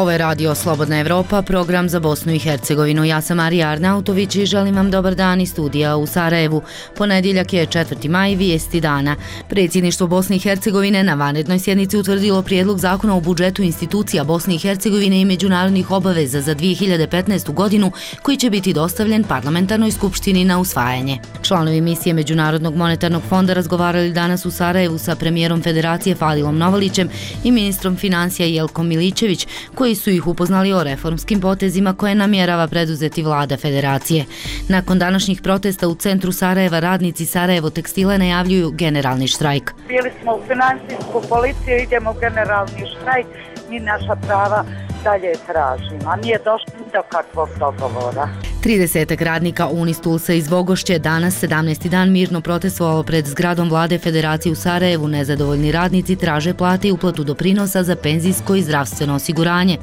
Ovo je Radio Slobodna Evropa, program za Bosnu i Hercegovinu. Ja sam Marija Arnautović i želim vam dobar dan iz studija u Sarajevu. Ponedjeljak je 4. maj, vijesti dana. Predsjedništvo Bosne i Hercegovine na vanrednoj sjednici utvrdilo prijedlog zakona o budžetu institucija Bosne i Hercegovine i međunarodnih obaveza za 2015. godinu koji će biti dostavljen parlamentarnoj skupštini na usvajanje. Članovi misije Međunarodnog monetarnog fonda razgovarali danas u Sarajevu sa premijerom Federacije Fadilom Novalićem i ministrom financija Jelkom Milićević, koji su ih upoznali o reformskim potezima koje namjerava preduzeti vlada Federacije. Nakon današnjih protesta u centru Sarajeva radnici Sarajevo tekstila najavljuju generalni štrajk. Bili smo u financijsku policiju, idemo u generalni štrajk, mi naša prava dalje tražimo, a nije došlo do kakvog dogovora. 30 radnika Unistulsa iz Vogošće danas 17. dan mirno protestovalo pred zgradom vlade Federacije u Sarajevu. Nezadovoljni radnici traže plate i uplatu doprinosa za penzijsko i zdravstveno osiguranje.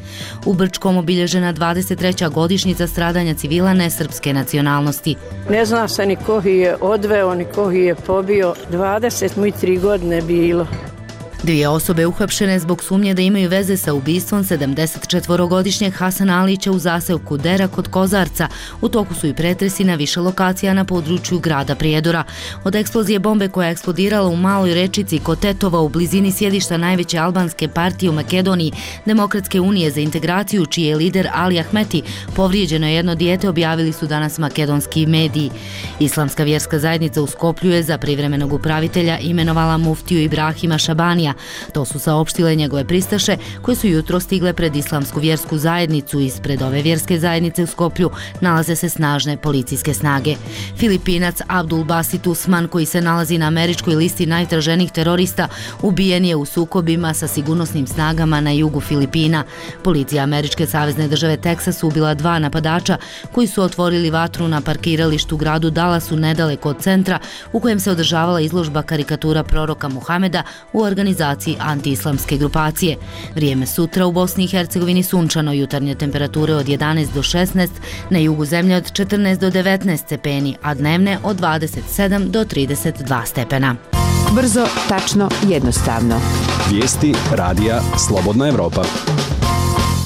U Brčkom obilježena 23. godišnjica stradanja civila nesrpske nacionalnosti. Ne zna se ni ko je odveo, ni ko je pobio. 23 godine bilo. Dvije osobe uhapšene zbog sumnje da imaju veze sa ubistvom 74-godišnjeg Hasana Alića u zaseoku Dera kod Kozarca. U toku su i pretresi na više lokacija na području grada Prijedora. Od eksplozije bombe koja je eksplodirala u maloj rečici kod Tetova u blizini sjedišta najveće albanske partije u Makedoniji, Demokratske unije za integraciju, čiji je lider Ali Ahmeti, povrijeđeno je jedno dijete, objavili su danas makedonski mediji. Islamska vjerska zajednica u Skoplju je za privremenog upravitelja imenovala muftiju Ibrahima Šabanija. To su saopštile njegove pristaše koje su jutro stigle pred Islamsku vjersku zajednicu. Ispred ove vjerske zajednice u Skoplju nalaze se snažne policijske snage. Filipinac Abdul Basit Usman, koji se nalazi na američkoj listi najtraženijih terorista, ubijen je u sukobima sa sigurnosnim snagama na jugu Filipina. Policija američke savezne države Teksas ubila 2 napadača koji su otvorili vatru na parkiralištu u gradu Dallasu nedaleko od centra u kojem se održavala izložba karikatura proroka Muhameda u organizaciji antiislamske grupacije. Vrijeme sutra u Bosni i Hercegovini sunčano, jutarnje temperature od 11 do 16, na jugu zemlje od 14 do 19 stepeni, a dnevne od 27 do 32 stepena. Brzo, tačno, jednostavno. Vijesti Radija Slobodna Evropa.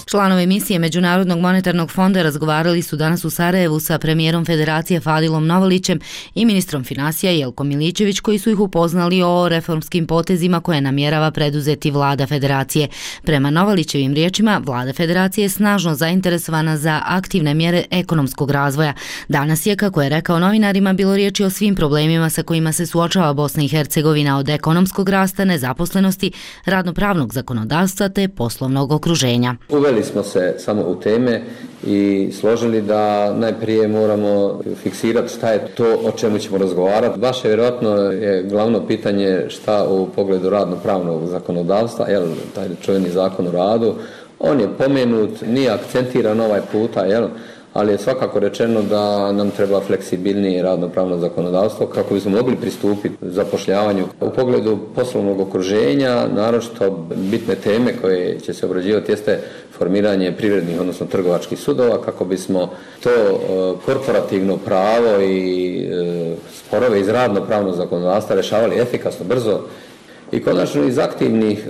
Članovi misije Međunarodnog monetarnog fonda razgovarali su danas u Sarajevu sa premijerom Federacije Fadilom Novalićem i ministrom financija Jelkom Milićević, koji su ih upoznali o reformskim potezima koje namjerava preduzeti vlada Federacije. Prema Novalićevim riječima, vlada Federacije je snažno zainteresovana za aktivne mjere ekonomskog razvoja. Danas je, kako je rekao novinarima, bilo riječi o svim problemima sa kojima se suočava Bosna i Hercegovina, od ekonomskog rasta, nezaposlenosti, radnopravnog zakonodavstva te poslovnog okruženja. Uveli smo se samo u teme i složili da najprije moramo fiksirati šta je to o čemu ćemo razgovarati. Vaše vjerojatno je glavno pitanje šta u pogledu radno-pravnog zakonodavstva, taj čuveni zakon o radu, on je pomenut, nije akcentiran ovaj puta, ali je svakako rečeno da nam treba fleksibilnije radno-pravno zakonodavstvo kako bismo mogli pristupiti zapošljavanju. U pogledu poslovnog okruženja, naročito bitne teme koje će se obrađivati jeste formiranje privrednih, odnosno trgovačkih sudova, kako bismo to korporativno pravo i sporove iz radno-pravnog zakonodavstva rješavali efikasno, brzo. I konačno iz aktivnih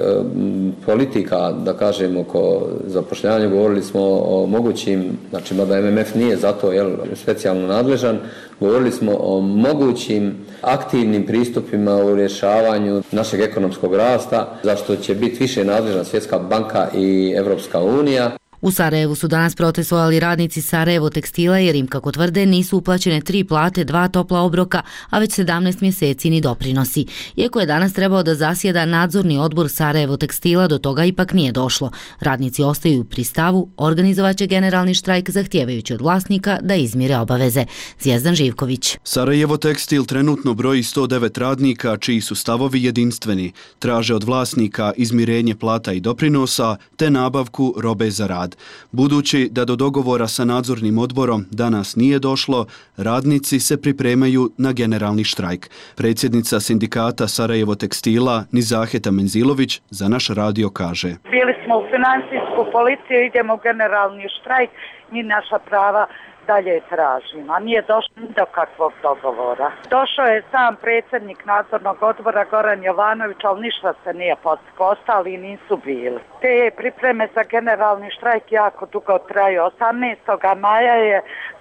politika, da kažem, oko zapošljavanja govorili smo o mogućim, znači mada MMF nije za to specijalno nadležan, govorili smo o mogućim aktivnim pristupima u rješavanju našeg ekonomskog rasta, za što će biti više nadležna Svjetska banka i Evropska unija. U Sarajevu su danas protestovali radnici Sarajevo tekstila jer im, kako tvrde, nisu uplaćene 3 plate, 2 topla obroka, a već 17 mjeseci ni doprinosi. Iako je danas trebao da zasjeda nadzorni odbor Sarajevo tekstila, do toga ipak nije došlo. Radnici ostaju pri stavu, organizovaće generalni štrajk zahtijevajući od vlasnika da izmire obaveze. Zvijezdan Živković. Sarajevo tekstil trenutno broji 109 radnika čiji su stavovi jedinstveni. Traže od vlasnika izmirenje plata i doprinosa te nabavku robe za rad. Budući da do dogovora sa nadzornim odborom danas nije došlo, radnici se pripremaju na generalni štrajk. Predsjednica sindikata Sarajevo tekstila Nizaheta Menzilović za naš radio kaže: Bili smo u financijsku policiju, idemo u generalni štrajk, mi naša prava dalje tražimo, a nije došlo do kakvog dogovora. Došao je sam predsjednik nadzornog odbora Goran Jovanović, ali ništa se nije postiglo, ostali nisu bili. Te pripreme za generalni štrajk jako dugo traju. 18. maja je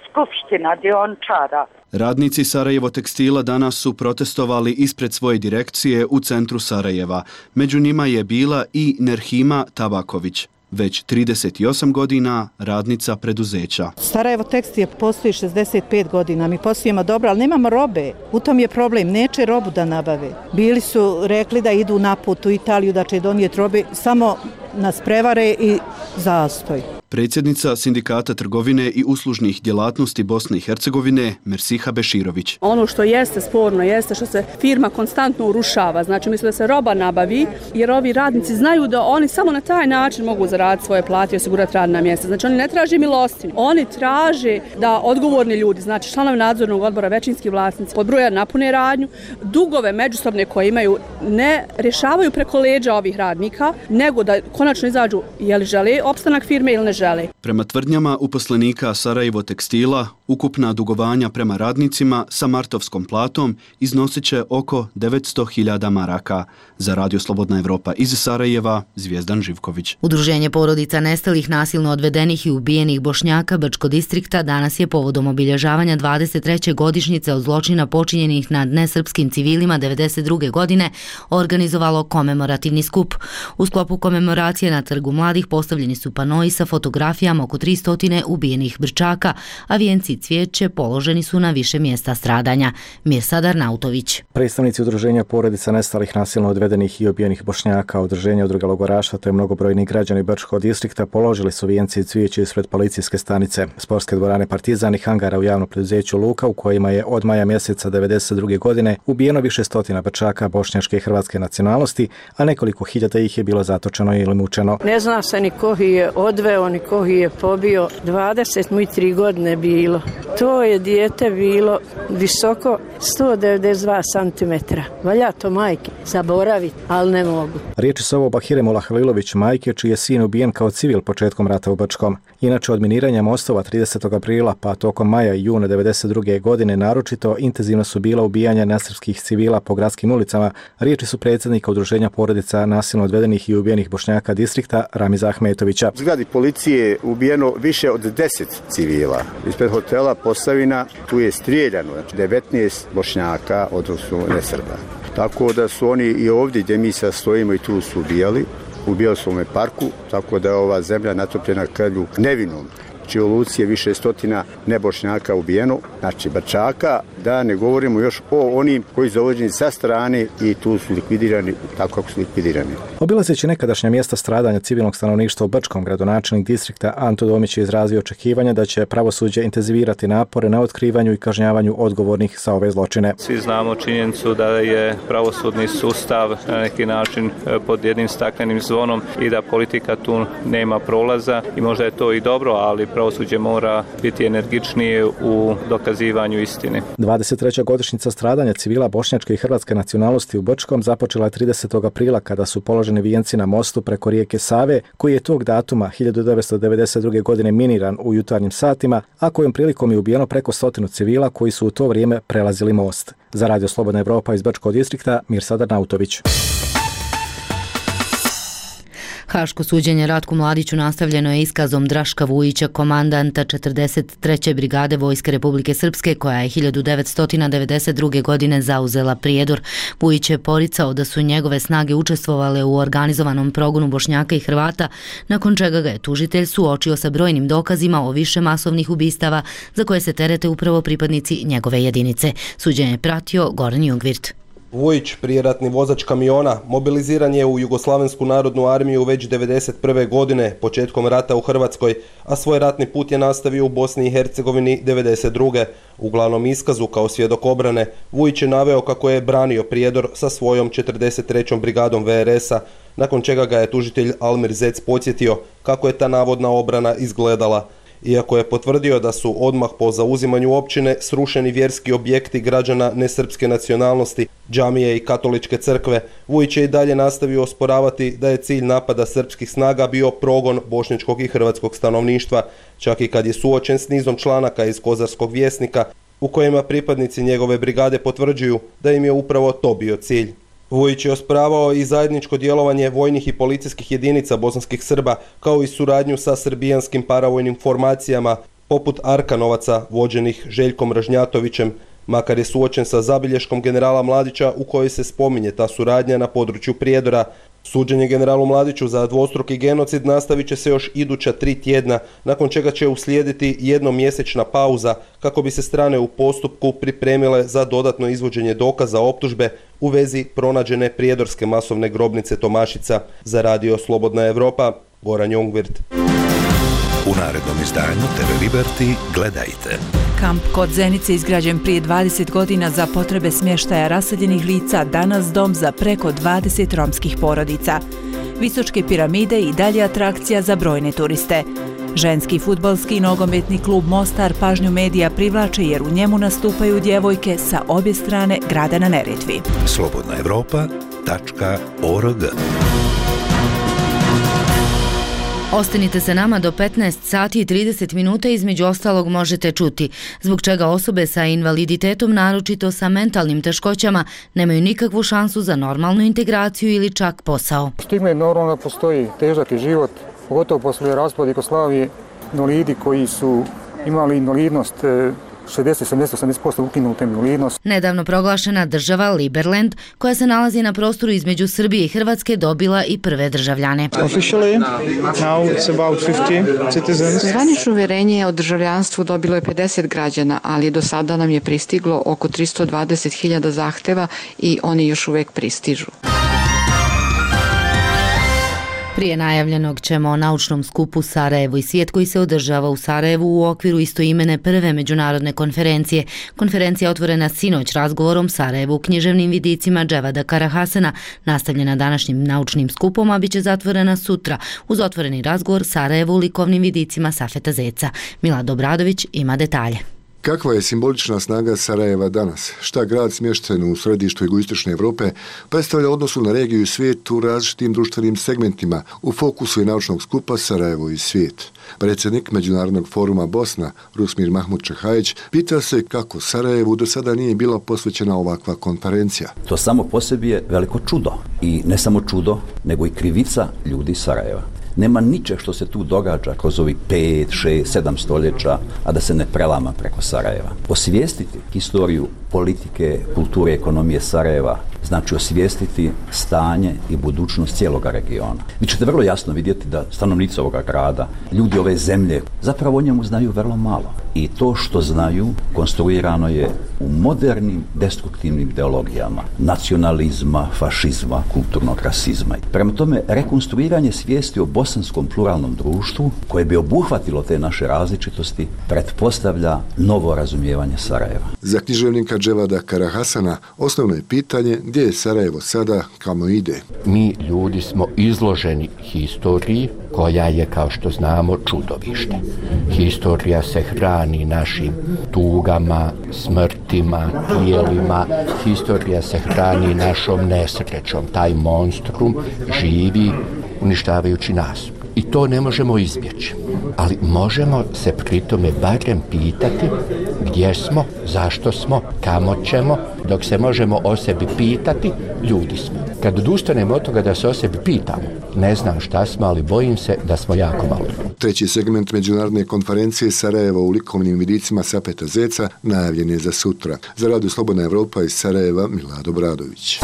skupština dioničara. Radnici Sarajevo tekstila danas su protestovali ispred svoje direkcije u centru Sarajeva. Među njima je bila i Nerhima Tabaković, već 38 godina radnica preduzeća. Sarajevo tekstil postoji 65 godina, mi poslujemo dobro, ali nemamo robe. U tom je problem, neće robu da nabave. Bili su rekli da idu na put u Italiju, da će donijeti robe, samo nas prevare i zastoj. Predsjednica Sindikata trgovine i uslužnih djelatnosti Bosne i Hercegovine Mersiha Beširović. Ono što jeste sporno jeste što se firma konstantno urušava. Znači misle da se roba nabavi jer ovi radnici znaju da oni samo na taj način mogu zaraditi svoje plate i osigurati radna mjesta. Znači oni ne traže milostinju. Oni traže da odgovorni ljudi, znači članovi nadzornog odbora, većinski vlasnici, pod broja napune radnju, dugove međusobne koje imaju ne rješavaju preko leđa ovih radnika, nego da konačno izađu je li žele opstanak firme ili ne žele. Prema tvrdnjama uposlenika Sarajevo tekstila, ukupna dugovanja prema radnicima sa martovskom platom iznosit će oko 900.000 maraka. Za Radio Slobodna Evropa iz Sarajeva, Zvijezdan Živković. Udruženje porodica nestalih, nasilno odvedenih i ubijenih Bošnjaka Brčko distrikta danas je povodom obilježavanja 23. godišnjice od zločina počinjenih nad nesrpskim civilima 1992. godine organizovalo komemorativni skup. U sklopu komemoracije na Trgu mladih postavljeni su panoi sa fotografijama oko 300 ubijenih Brčaka, a vijenci i cvijeće položeni su na više mjesta stradanja. Mirsad Arnautović. Predstavnici udruženja porodica nestalih, nasilno odvedenih i ubijenih Bošnjaka, udruženja udruga logoraša te mnogobrojni građani Brčkog distrikta položili su vijenci i cvijeće ispred policijske stanice, sportske dvorane Partizan i hangara u javnom preduzeću Luka, u kojima je od maja mjeseca 1992. godine ubijeno više stotina Brčaka bošnjačke i hrvatske nacionalnosti, a nekoliko hiljada ih je bilo zatočeno ili mučeno. Ne zna se ni ko je odveo, ni ko je pobio. 23 godine bilo. To je dijete bilo visoko 192 cm. Valja to majke zaboraviti, ali ne mogu. Riječi su ovo Bahire Mola Halilović, majke čiji je sin ubijen kao civil početkom rata u Brčkom. Inače, od miniranja mostova 30. aprila pa tokom maja i juna 1992. godine naročito intenzivno su bila ubijanja nesrpskih civila po gradskim ulicama. Riječi su predsjednika udruženja porodica nasilno odvedenih i ubijenih Bošnjaka distrikta Ramiza Ahmetovića. U zgradi policije ubijeno više od 10 civila. Ispred hotela Posavina tu je strijeljano 19 Bošnjaka, odnosno nesrba. Tako da su oni i ovdje gdje mi sad stojimo i tu su ubijali. Ubijali su u ovome parku, tako da je ova zemlja natopljena krvlju nevinom. Znači u Luci je više stotina nebošnjaka ubijeno, znači Brčaka, da ne govorimo još o onim koji su dovođeni sa strane i tu su likvidirani tako kako su likvidirani. Obilazeći nekadašnja mjesta stradanja civilnog stanovništva u Brčkom, gradonačelnik distrikta Anto Domić je izrazio očekivanja da će pravosuđe intenzivirati napore na otkrivanju i kažnjavanju odgovornih za ove zločine. Svi znamo činjenicu da je pravosudni sustav na neki način pod jednim staklenim zvonom i da politika tu nema prolaza i možda je to i dobro, ali pravosuđe mora biti energičnije u dokazivanju istine. 23. godišnjica stradanja civila bošnjačke i hrvatske nacionalnosti u Brčkom započela je 30. aprila kada su položeni vijenci na mostu preko rijeke Save, koji je tog datuma 1992. godine miniran u jutarnjim satima, a kojom prilikom je ubijeno preko 100 civila koji su u to vrijeme prelazili most. Za Radio Slobodna Evropa iz Brčkog distrikta, Mirsad Arnautović. Haško suđenje Ratku Mladiću nastavljeno je iskazom Draška Vujića, komandanta 43. brigade Vojske Republike Srpske, koja je 1992. godine zauzela Prijedor. Vujić je poricao da su njegove snage učestvovale u organizovanom progonu Bošnjaka i Hrvata, nakon čega ga je tužitelj suočio sa brojnim dokazima o više masovnih ubistava za koje se terete upravo pripadnici njegove jedinice. Suđenje je pratio Goran Jungvirt. Vujić, prijeratni vozač kamiona, mobiliziran je u Jugoslavensku narodnu armiju već 1991. godine, početkom rata u Hrvatskoj, a svoj ratni put je nastavio u Bosni i Hercegovini 1992. U glavnom iskazu kao svjedok obrane, Vujić je naveo kako je branio Prijedor sa svojom 43. brigadom VRS-a, nakon čega ga je tužitelj Almir Zec podsjetio kako je ta navodna obrana izgledala. iako je potvrdio da su odmah po zauzimanju općine srušeni vjerski objekti građana nesrpske nacionalnosti, džamije i katoličke crkve. Vujić je i dalje nastavio osporavati da je cilj napada srpskih snaga bio progon bošnjačkog i hrvatskog stanovništva, čak i kad je suočen s nizom članaka iz Kozarskog vjesnika, u kojima pripadnici njegove brigade potvrđuju da im je upravo to bio cilj. Vujić je osporavao i zajedničko djelovanje vojnih i policijskih jedinica bosanskih Srba, kao i suradnju sa srbijanskim paravojnim formacijama, poput Arkanovaca, vođenih Željkom Ražnjatovićem, makar je suočen sa zabilješkom generala Mladića u kojoj se spominje ta suradnja na području Prijedora. Suđenje generalu Mladiću za dvostruki genocid nastavit će se još iduća 3 tjedna, nakon čega će uslijediti jednomjesečna pauza kako bi se strane u postupku pripremile za dodatno izvođenje dokaza optužbe u vezi pronađene prijedorske masovne grobnice Tomašica. Za Radio Slobodna Evropa, Goran Jongvirt. U narednom izdanju TV Liberty gledajte. Kamp kod Zenice izgrađen prije 20 godina za potrebe smještaja raseljenih lica, danas dom za preko 20 romskih porodica. Visočke piramide i dalje atrakcija za brojne turiste. Ženski fudbalski i nogometni klub Mostar pažnju medija privlače jer u njemu nastupaju djevojke sa obje strane grada na Neretvi. slobodnaevropa.org. Ostanite se nama do 15 sati i 30 minuta, između ostalog možete čuti zbog čega osobe sa invaliditetom, naročito sa mentalnim teškoćama, nemaju nikakvu šansu za normalnu integraciju ili čak posao. Stigma je normalno, postoji težak je život, pogotovo poslije raspada Jugoslavije, invalidi koji su imali invalidnost 60-70% ukinuta invalidnost. Nedavno proglašena država Liberland, koja se nalazi na prostoru između Srbije i Hrvatske, dobila i prve državljane. Zvanično uvjerenje o državljanstvu dobilo je 50 građana, ali do sada nam je pristiglo oko 320.000 zahteva i oni još uvijek pristižu. Prije najavljenog ćemo o naučnom skupu Sarajevo i svijet koji se održava u Sarajevu u okviru istoimene prve međunarodne konferencije. Konferencija je otvorena sinoć razgovorom Sarajevo u književnim vidicima Dževada Karahasana, nastavljena današnjim naučnim skupom, a bit će zatvorena sutra uz otvoreni razgovor Sarajevo u likovnim vidicima Safeta Zeca. Milad Obradović ima detalje. Kakva je simbolična snaga Sarajeva danas? Šta grad smješten u središtu jugoistočne Europe predstavlja odnosu na regiju i svijet u različitim društvenim segmentima? U fokusu je naučnog skupa Sarajevo i svijet. Predsjednik Međunarodnog foruma Bosna, Rusmir Mahmud Čehajić, pita se kako Sarajevu do sada nije bila posvećena ovakva konferencija. To samo po sebi je veliko čudo. I ne samo čudo, nego i krivica ljudi Sarajeva. Nema ničeg što se tu događa kroz ovih 5, 6, 7 stoljeća, a da se ne prelama preko Sarajeva. Osvijestiti historiju politike, kulture, ekonomije Sarajeva znači osvijestiti stanje i budućnost cijeloga regiona. Vi ćete vrlo jasno vidjeti da stanovnici ovoga grada, ljudi ove zemlje, zapravo o njemu znaju vrlo malo. I to što znaju konstruirano je u modernim destruktivnim ideologijama nacionalizma, fašizma, kulturnog rasizma. Prema tome, rekonstruiranje svijesti o bosanskom pluralnom društvu koje bi obuhvatilo te naše različitosti pretpostavlja novo razumijevanje Sarajeva. Za književnika Dževada Karahasana osnovno je pitanje gdje je Sarajevo sada, kamo ide. Mi ljudi smo izloženi historiji koja je, kao što znamo, čudovište. Historija se hrani našim tugama, smrtima, tijelima. Historija se hrani našom nesrećom. Taj monstrum živi uništavajući nas. I to ne možemo izbjeći. Ali možemo se pri tome barem pitati gdje smo, zašto smo, kamo ćemo. Dok se možemo o sebi pitati, ljudi smo. Kad odustanemo od toga da se o sebi pitamo, ne znam šta smo, ali bojim se da smo jako malo. Treći segment međunarodne konferencije Sarajevo u likovnim vidicima Safeta Zeca najavljen je za sutra. Za Radio Slobodna Evropa iz Sarajeva, Milad Obradović.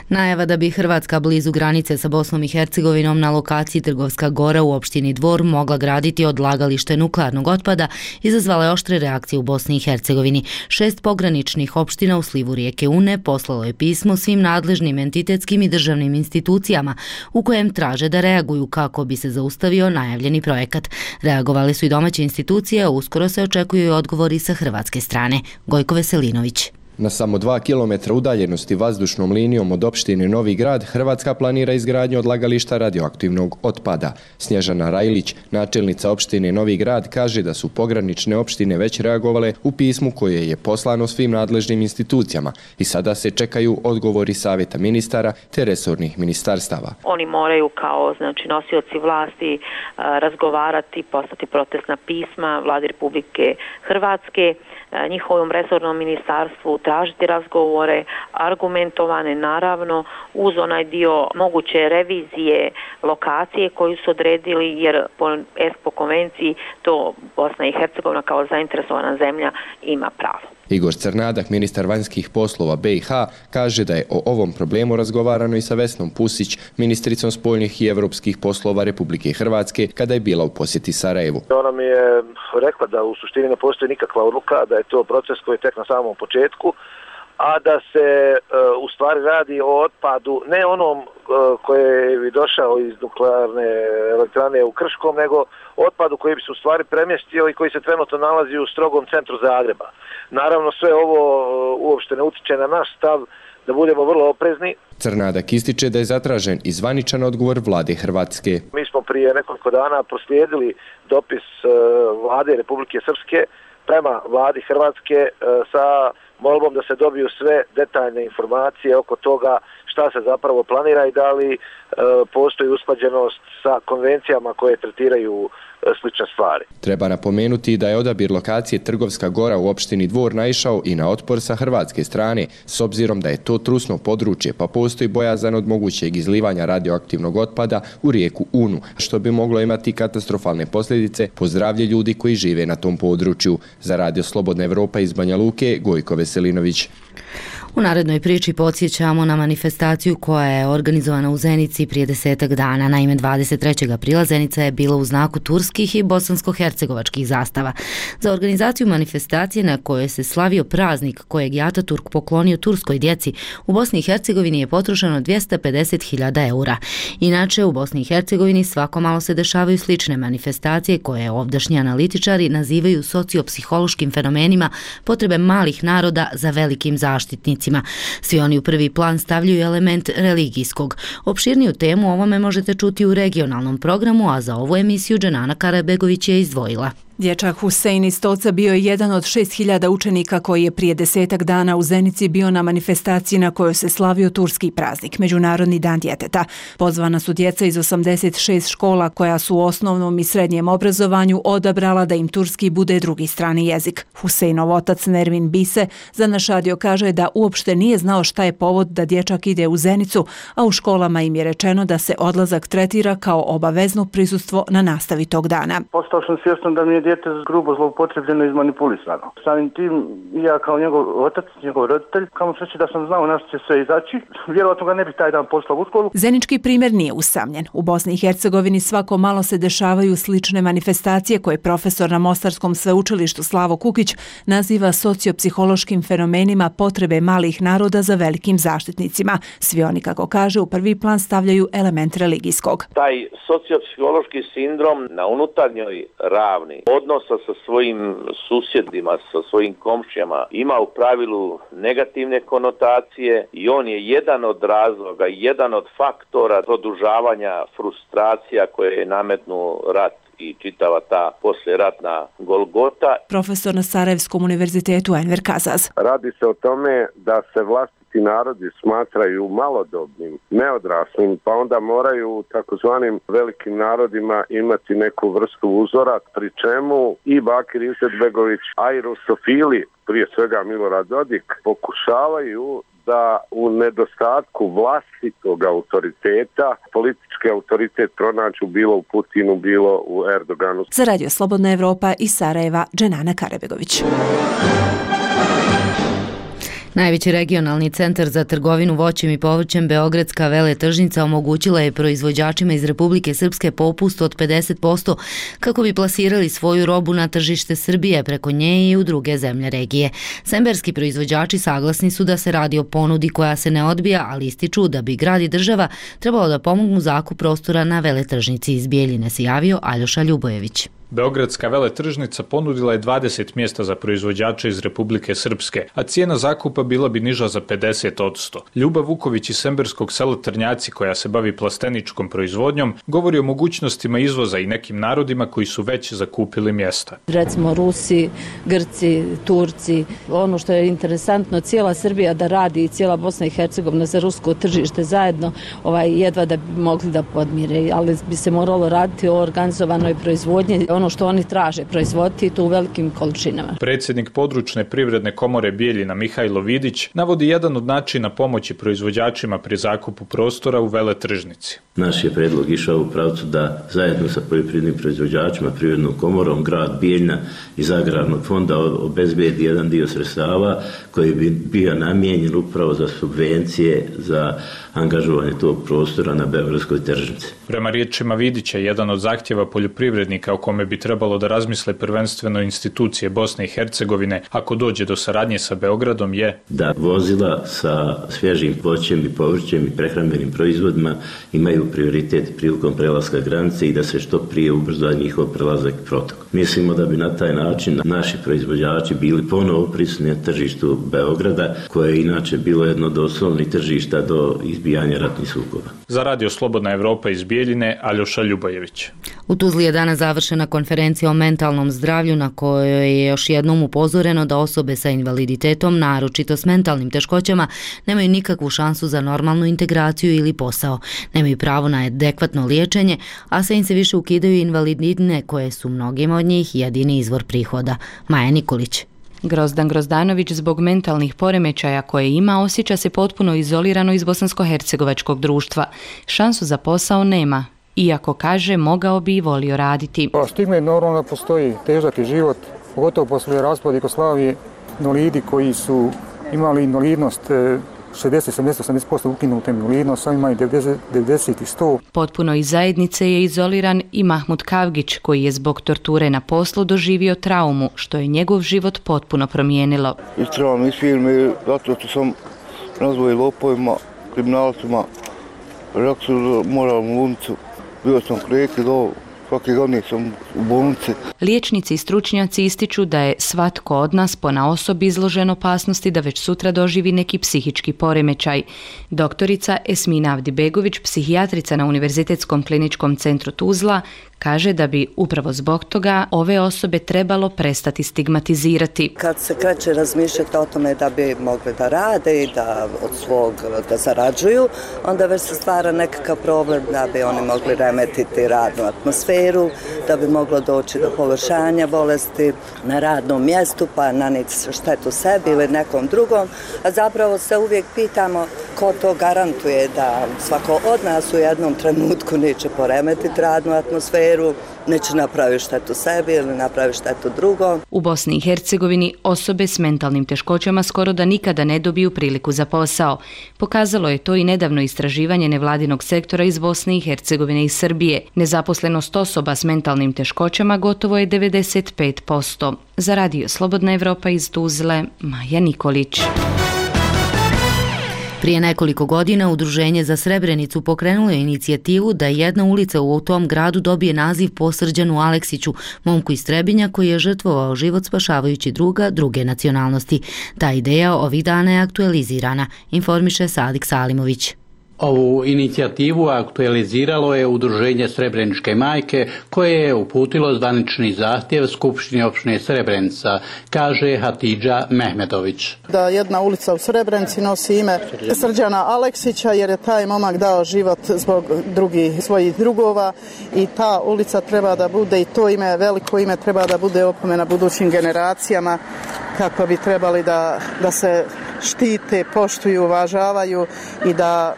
Najava da bi Hrvatska blizu granice sa Bosnom i Hercegovinom na lokaciji Trgovska Gora u opštini Dvor mogla graditi odlagalište nuklearnog otpada izazvala je oštre reakcije u Bosni i Hercegovini. 6 pograničnih opština u slivu rijeke Une poslalo je pismo svim nadležnim entitetskim i državnim institucijama u kojem traže da reaguju kako bi se zaustavio najavljeni projekat. Reagovali su i domaće institucije, a uskoro se očekuju i odgovori sa hrvatske strane. Gojko Veselinović. Na samo 2 km udaljenosti vazdušnom linijom od opštine Novi Grad, Hrvatska planira izgradnju odlagališta radioaktivnog otpada. Snježana Rajlić, načelnica opštine Novi Grad, kaže da su pogranične opštine već reagovale u pismu koje je poslano svim nadležnim institucijama i sada se čekaju odgovori savjeta ministara te resornih ministarstava. Oni moraju kao nosioci vlasti razgovarati, poslati protestna pisma Vladi Republike Hrvatske, njihovom resornom ministarstvu tražiti razgovore, argumentovane naravno uz onaj dio moguće revizije lokacije koju su odredili, jer po ESPO konvenciji to Bosna i Hercegovina kao zainteresovana zemlja ima pravo. Igor Crnadak, ministar vanjskih poslova BiH, kaže da je o ovom problemu razgovarano i sa Vesnom Pusić, ministricom spoljnih i evropskih poslova Republike Hrvatske, kada je bila u posjeti Sarajevu. Ona mi je rekla da u suštini ne postoji nikakva odluka, da je to proces koji je tek na samom početku, a da se u stvari radi o otpadu ne onom koji bi došao iz nuklearne elektrane u Krškom, nego otpadu koji bi se u stvari premjestio i koji se trenutno nalazi u strogom centru Zagreba. Naravno, sve ovo uopšte ne utiče na naš stav da budemo vrlo oprezni. Crnadak ističe da je zatražen i zvaničan odgovor vlade Hrvatske. Mi smo prije nekoliko dana proslijedili dopis vlade Republike Srpske prema vladi Hrvatske sa molbom da se dobiju sve detaljne informacije oko toga šta se zapravo planira i da li postoji usklađenost sa konvencijama koje tretiraju slične stvari. Treba napomenuti da je odabir lokacije Trgovska Gora u opštini Dvor naišao i na otpor sa hrvatske strane, s obzirom da je to trusno područje, pa postoji bojazan od mogućeg izlivanja radioaktivnog otpada u rijeku Unu, što bi moglo imati katastrofalne posljedice po zdravlje ljudi koji žive na tom području. Za Radio Slobodna Evropa iz Banja Luke, Gojko Veselinović. U narednoj priči podsjećamo na manifestaciju koja je organizovana u Zenici prije 10 dana. Naime, 23. aprila Zenica je bila u znaku turskih i bosansko-hercegovačkih zastava. Za organizaciju manifestacije na kojoj se slavio praznik kojeg je Ataturk poklonio turskoj djeci, u Bosni i Hercegovini je potrošeno 250.000 eura. Inače, u Bosni i Hercegovini svako malo se dešavaju slične manifestacije koje ovdašnji analitičari nazivaju sociopsihološkim fenomenima potrebe malih naroda za velikim zaštitnicima. Svi oni u prvi plan stavljaju element religijskog. Opširniju temu o ovome možete čuti u regionalnom programu, a za ovu emisiju Dženana Karabegović je izdvojila. Dječak Husein iz Stoca bio je jedan od 6.000 učenika koji je prije 10 dana u Zenici bio na manifestaciji na kojoj se slavio turski praznik, Međunarodni dan djeteta. Pozvana su djeca iz 86 škola koja su u osnovnom i srednjem obrazovanju odabrala da im turski bude drugi strani jezik. Huseinov otac Nervin Bise za naš radio kaže da uopšte nije znao šta je povod da dječak ide u Zenicu, a u školama im je rečeno da se odlazak tretira kao obavezno prisustvo na nastavi tog dana. Postao sam svjestan da mi je dijete grubo zloupotrebljeno i izmanipulisano. Samim tim, ja kao njegov otac, njegov roditelj, kamo sreće da sam znao na što će sve izaći, vjerojatno ga ne bi taj dan poslao u školu. Zenički primjer nije usamljen. U Bosni i Hercegovini svako malo se dešavaju slične manifestacije koje profesor na Mostarskom sveučilištu Slavo Kukić naziva sociopsihološkim fenomenima potrebe malih naroda za velikim zaštitnicima. Svi oni, kako kaže, u prvi plan stavljaju element religijskog. Taj sociopsihološki sindrom na unutarnjoj ravni odnosa sa svojim susjedima, sa svojim komšijama ima u pravilu negativne konotacije i on je jedan od razloga, jedan od faktora produžavanja frustracija koje je nametnuo rat i čitava ta poslijeratna golgota. Profesor na Sarajevskom univerzitetu Enver Kazaz. Radi se o tome da se vlastiti narodi smatraju malodobnim, neodraslim, pa onda moraju u takozvanim velikim narodima imati neku vrstu uzora, pri čemu i Bakir Izetbegović, a i rusofili, prije svega Milorad Dodik, pokušavaju da u nedostatku vlastitog autoriteta, politički autoritet pronađu bilo u Putinu, bilo u Erdoganu. Za Radio Slobodna Evropa iz Sarajeva, Dženana Karabegović. Najveći regionalni centar za trgovinu voćem i povrćem Beogradska veletržnica omogućila je proizvođačima iz Republike Srpske popust od 50% kako bi plasirali svoju robu na tržište Srbije preko nje i u druge zemlje regije. Semberski proizvođači saglasni su da se radi o ponudi koja se ne odbija, ali ističu da bi grad i država trebalo da pomognu zakup prostora na veletržnici. Iz Bijeljine se javio Aljoša Ljubojević. Beogradska veletržnica ponudila je 20 mjesta za proizvođače iz Republike Srpske, a cijena zakupa bila bi niža za 50%. Ljuba Vuković iz semberskog sela Trnjaci, koja se bavi plasteničkom proizvodnjom, govori o mogućnostima izvoza i nekim narodima koji su već zakupili mjesta. Recimo Rusi, Grci, Turci. Ono što je interesantno, cijela Srbija da radi i cijela Bosna i Hercegovina za rusko tržište zajedno, jedva da bi mogli da podmire, ali bi se moralo raditi o organizovanoj proizvodnji, ono što oni traže proizvoditi to u velikim količinama. Predsjednik područne privredne komore Bijeljina Mihajlo Vidić navodi jedan od načina pomoći proizvođačima pri zakupu prostora u veletržnici. Naš je predlog išao u pravcu da zajedno sa poljoprivrednim proizvođačima, privrednom komorom, grad Bijeljina iz agrarnog fonda obezbedi jedan dio sredstava koji bi bio namijenjen upravo za subvencije za angažovanje tog prostora na beogradskoj tržnici. Prema riječima Vidića, jedan od zahtjeva poljoprivrednika o kome bi trebalo da razmisle prvenstveno institucije Bosne i Hercegovine ako dođe do saradnje sa Beogradom je da vozila sa svježim voćem i povrćem i prehrambenim proizvodima imaju prioritet prilikom prelaska granice i da se što prije ubrza njihov prelazak protok. Mislimo da bi na taj način naši proizvođači bili ponovo prisutni na tržištu Beograda, koje je inače bilo jedno od osnovnih tržišta do izbijanja ratnih sukoba. Za Radio Slobodna Evropa iz Bijeljine, Aljoša Ljubojević. U Tuzli je danas završena konferencija o mentalnom zdravlju na kojoj je još jednom upozoreno da osobe sa invaliditetom, naročito s mentalnim teškoćama, nemaju nikakvu šansu za normalnu integraciju ili posao. Nemaju pravo na adekvatno liječenje, a sve im se više ukidaju invalidnine koje su mnogima od njih jedini izvor prihoda. Maja Nikolić. Grozdan Grozdanović zbog mentalnih poremećaja koje ima osjeća se potpuno izolirano iz bosansko-hercegovačkog društva. Šansu za posao nema, iako kaže mogao bi i volio raditi. Stigma je normalno, postoji težak je život, pogotovo poslije raspada Jugoslavije, invalidi koji su imali invalidnost 60-70% ukinute invalidnost, sami imaju 90 i 100. Potpuno iz zajednice je izoliran i Mahmud Kavgić, koji je zbog torture na poslu doživio traumu, što je njegov život potpuno promijenilo. Istrao iz firme zato što sam nazvao lopovima, kriminalcima, rekao su moram u bolnicu, bio sam kreke do svake godine sam u bolnici. Liječnici i stručnjaci ističu da je svatko od nas ponaosob izložen opasnosti da već sutra doživi neki psihički poremećaj. Doktorica Esmina Avdibegović, psihijatrica na Univerzitetskom kliničkom centru Tuzla, kaže da bi upravo zbog toga ove osobe trebalo prestati stigmatizirati. Kad se kreće razmišljati o tome da bi mogli da rade i da od svog da zarađuju, onda već se stvara nekakav problem da bi oni mogli remetiti radnu atmosferu, da bi moglo doći do pogoršanja bolesti na radnom mjestu, pa naniti štetu sebi ili nekom drugom. A zapravo se uvijek pitamo ko to garantuje da svako od nas u jednom trenutku neće poremetiti radnu atmosferu, neće napraviti štetu sebi ili napraviti štetu drugom. U Bosni i Hercegovini osobe s mentalnim teškoćama skoro da nikada ne dobiju priliku za posao. Pokazalo je to i nedavno istraživanje nevladinog sektora iz Bosne i Hercegovine i Srbije. Nezaposlenost osoba s mentalnim teškoćama gotovo je 95%. Za Radio Slobodna Evropa iz Tuzle, Maja Nikolić. Prije nekoliko godina Udruženje za Srebrenicu pokrenulo je inicijativu da jedna ulica u tom gradu dobije naziv po Srđanu Aleksiću, momku iz Trebinja koji je žrtvovao život spašavajući druga druge nacionalnosti. Ta ideja ovih dana je aktualizirana, informiše Sadik Salimović. Ovu inicijativu aktualiziralo je Udruženje Srebreničke majke koje je uputilo zvanični zahtjev Skupštini opštine Srebrenica, kaže Hatidža Mehmedović. Da jedna ulica u Srebrenici nosi ime Srđana Aleksića jer je taj momak dao život zbog svojih drugova i ta ulica treba da bude i to ime, veliko ime treba da bude opomena budućim generacijama kako bi trebali da se štite, poštuju, uvažavaju i da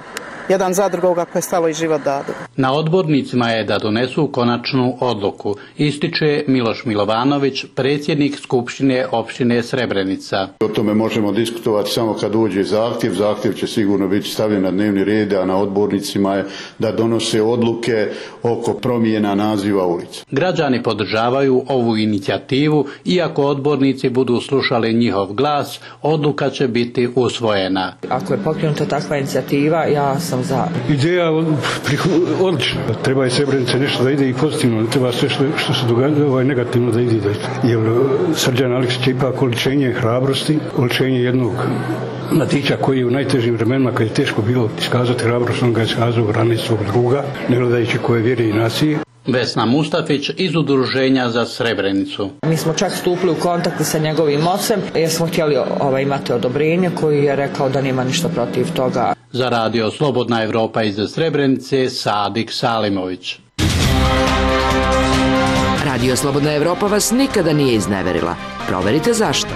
jedan za drugoga koje stalo i život dadu. Na odbornicima je da donesu konačnu odluku, ističe Miloš Milovanović, predsjednik Skupštine opštine Srebrenica. O tome možemo diskutovati samo kad uđe zahtjev. Zahtjev će sigurno biti stavljen na dnevni red, a na odbornicima je da donose odluke oko promjena naziva ulica. Građani podržavaju ovu inicijativu, iako odbornici budu slušali njihov glas, odluka će biti usvojena. Ako je pokrenuta takva inicijativa, ja sam za. Ideja Odlično. Treba je Srebrenica nešto da ide i pozitivno, treba sve što se događa negativno da ide. Jer Srđan Aleksić je ipak oličenje hrabrosti, oličenje jednog mladića koji je u najtežim vremenima, kad je teško bilo iskazati hrabrost, on ga je iskazao u rani svog druga, ne gledajući koje vjere i nacije. Vesna Mustafić iz Udruženja za Srebrenicu. Mi smo čak stupili u kontakt sa njegovim ocem jer smo htjeli imati odobrenje koji je rekao da nema ništa protiv toga. Za radio Slobodna Evropa iz Srebrenice, Sadik Salimović. Radio Slobodna Evropa vas nikada nije izneverila. Proverite zašto.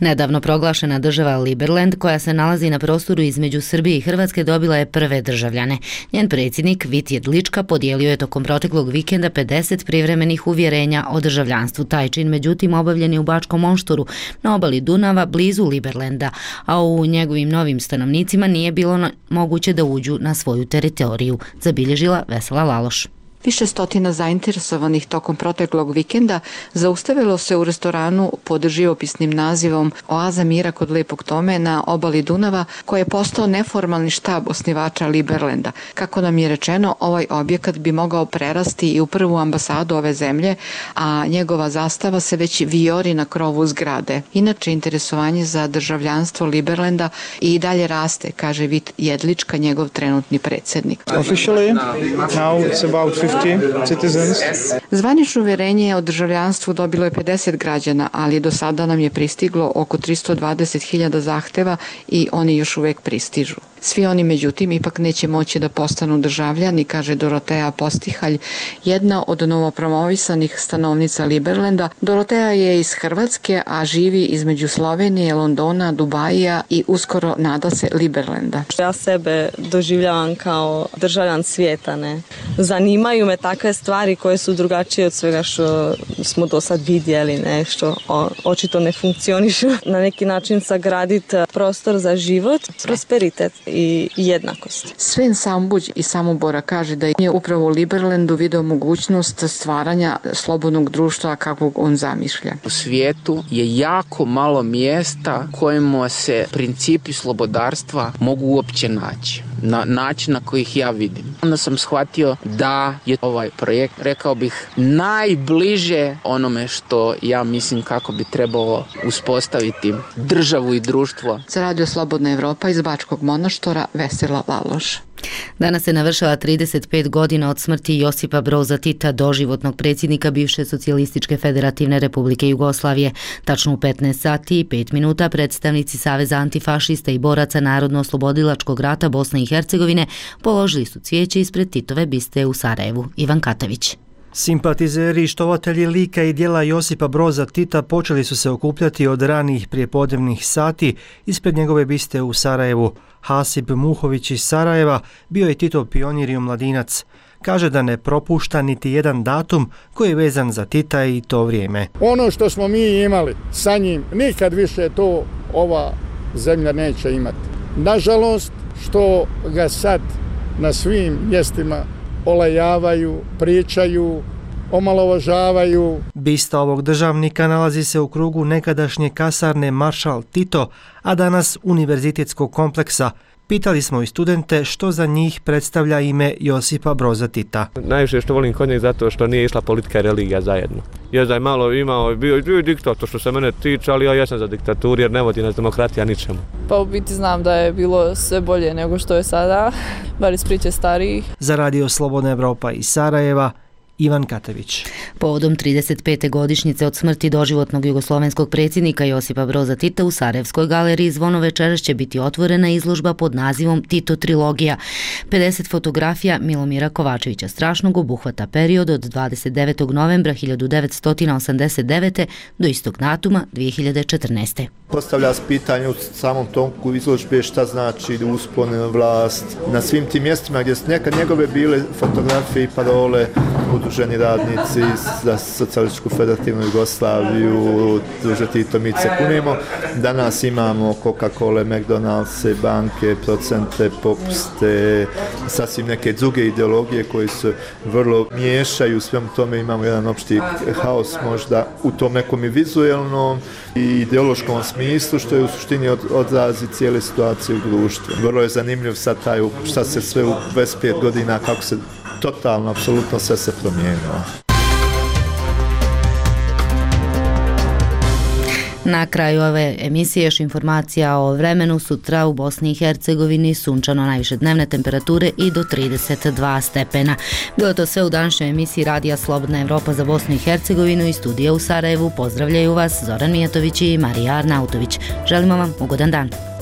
Nedavno proglašena država Liberland, koja se nalazi na prostoru između Srbije i Hrvatske, dobila je prve državljane. Njen predsjednik Vit Jedlička podijelio je tokom proteklog vikenda 50 privremenih uvjerenja o državljanstvu. Taj čin, međutim, obavljen je u Bačkom Moštoru, na obali Dunava, blizu Liberlanda, a u njegovim novim stanovnicima nije bilo moguće da uđu na svoju teritoriju, zabilježila Vesela Laloš. Više stotina zainteresovanih tokom proteklog vikenda zaustavilo se u restoranu pod živopisnim nazivom Oaza mira kod Lepog Tome na obali Dunava, koji je postao neformalni štab osnivača Liberlanda. Kako nam je rečeno, ovaj objekat bi mogao prerasti i u prvu ambasadu ove zemlje, a njegova zastava se već vijori na krovu zgrade. Inače, interesovanje za državljanstvo Liberlanda i dalje raste, kaže Vit Jedlička, njegov trenutni predsjednik. Zvanično uvjerenje o državljanstvu dobilo je 50 građana, ali do sada nam je pristiglo oko 320.000 zahteva i oni još uvijek pristižu. Svi oni, međutim, ipak neće moći da postanu državljani, kaže Doroteja Postihalj, jedna od novopromovisanih stanovnica Liberlanda. Doroteja je iz Hrvatske, a živi između Slovenije, Londona, Dubaija i uskoro nada se Liberlanda. Ja sebe doživljavam kao državljan svijeta, ne. Zanimaju me takve stvari koje su drugačije od svega što smo do sad vidjeli, ne, što očito ne funkcionišu. Na neki način sagraditi prostor za život, prosperitet i jednakost. Sven Sambuđ iz Samobora kaže da je upravo u Liberlandu video mogućnost stvaranja slobodnog društva kakvog on zamišlja. U svijetu je jako malo mjesta kojima se principi slobodarstva mogu uopće naći. Na način na koji ih ja vidim. Onda sam shvatio da je ovaj projekt, rekao bih, najbliže onome što ja mislim kako bi trebalo uspostaviti državu i društvo. Za Radio Slobodna Evropa iz Bačkog Monoštora, Vesela Laloš. Danas se navršava 35 godina od smrti Josipa Broza Tita, doživotnog predsjednika bivše Socijalističke federativne republike Jugoslavije. Tačno u 15 sati i 5 minuta predstavnici Saveza antifašista i boraca Narodno-oslobodilačkog rata Bosne i Hercegovine položili su cvijeće ispred Titove biste u Sarajevu. Ivan Katavić. Simpatizeri i štovatelji lika i djela Josipa Broza Tita počeli su se okupljati od ranih prijepodnevnih sati ispred njegove biste u Sarajevu. Hasib Muhović iz Sarajeva bio je Titov pionir i omladinac. Kaže da ne propušta niti jedan datum koji je vezan za Tita i to vrijeme. Ono što smo mi imali sa njim, nikad više to ova zemlja neće imati. Nažalost, što ga sad na svim mjestima olajavaju, pričaju, omalovažavaju. Bista ovog državnika nalazi se u krugu nekadašnje kasarne Maršal Tito, a danas univerzitetskog kompleksa. Pitali smo i studente što za njih predstavlja ime Josipa Broza Tita. Najviše što volim kod njeg zato što nije išla politika i religija zajedno. Jer da je malo imao, bio je diktator što se mene tiče, ali ja jesam za diktaturu jer ne vodi nas demokratija ničemu. Pa u biti znam da je bilo sve bolje nego što je sada, bar iz priče starijih. Za Radio Slobodna Evropa iz Sarajeva, Ivan Katavić. Povodom 35. godišnjice od smrti doživotnog jugoslovenskog predsjednika Josipa Broza Tita u Sarajevskoj galeriji Zvono večeras će biti otvorena izložba pod nazivom Tito trilogija. 50 fotografija Milomira Kovačevića Strašnog obuhvata period od 29. novembra 1989. do istog datuma 2014. Postavlja se pitanje u samom tonku izložbe šta znači uspon, vlast. Na svim tim mjestima gdje su nekad njegove bile fotografije i parole, u udruženi radnici za Socijalističku federativnu Jugoslaviju, Druže Tito, mi se kunimo. Danas imamo Coca-Cola, McDonald's, banke, procente, popuste, sasvim neke druge ideologije koje se vrlo miješaju, svemu tome imamo jedan opšti haos možda u tom nekom i vizuelnom i ideološkom smislu, što je u suštini odrazi cijele situacije u društvu. Vrlo je zanimljiv sad taj, šta se sve u 25 godina, kako se totalno, apsolutno sve se promijenilo. Na kraju ove emisije još informacija o vremenu. Sutra u Bosni i Hercegovini sunčano, najviše dnevne temperature i do 32 stepena. Bilo to sve u današnjoj emisiji Radija Slobodna Evropa za Bosnu i Hercegovinu. Iz studija u Sarajevu pozdravljaju vas Zoran Mijatović i Marija Arnautović. Želimo vam ugodan dan.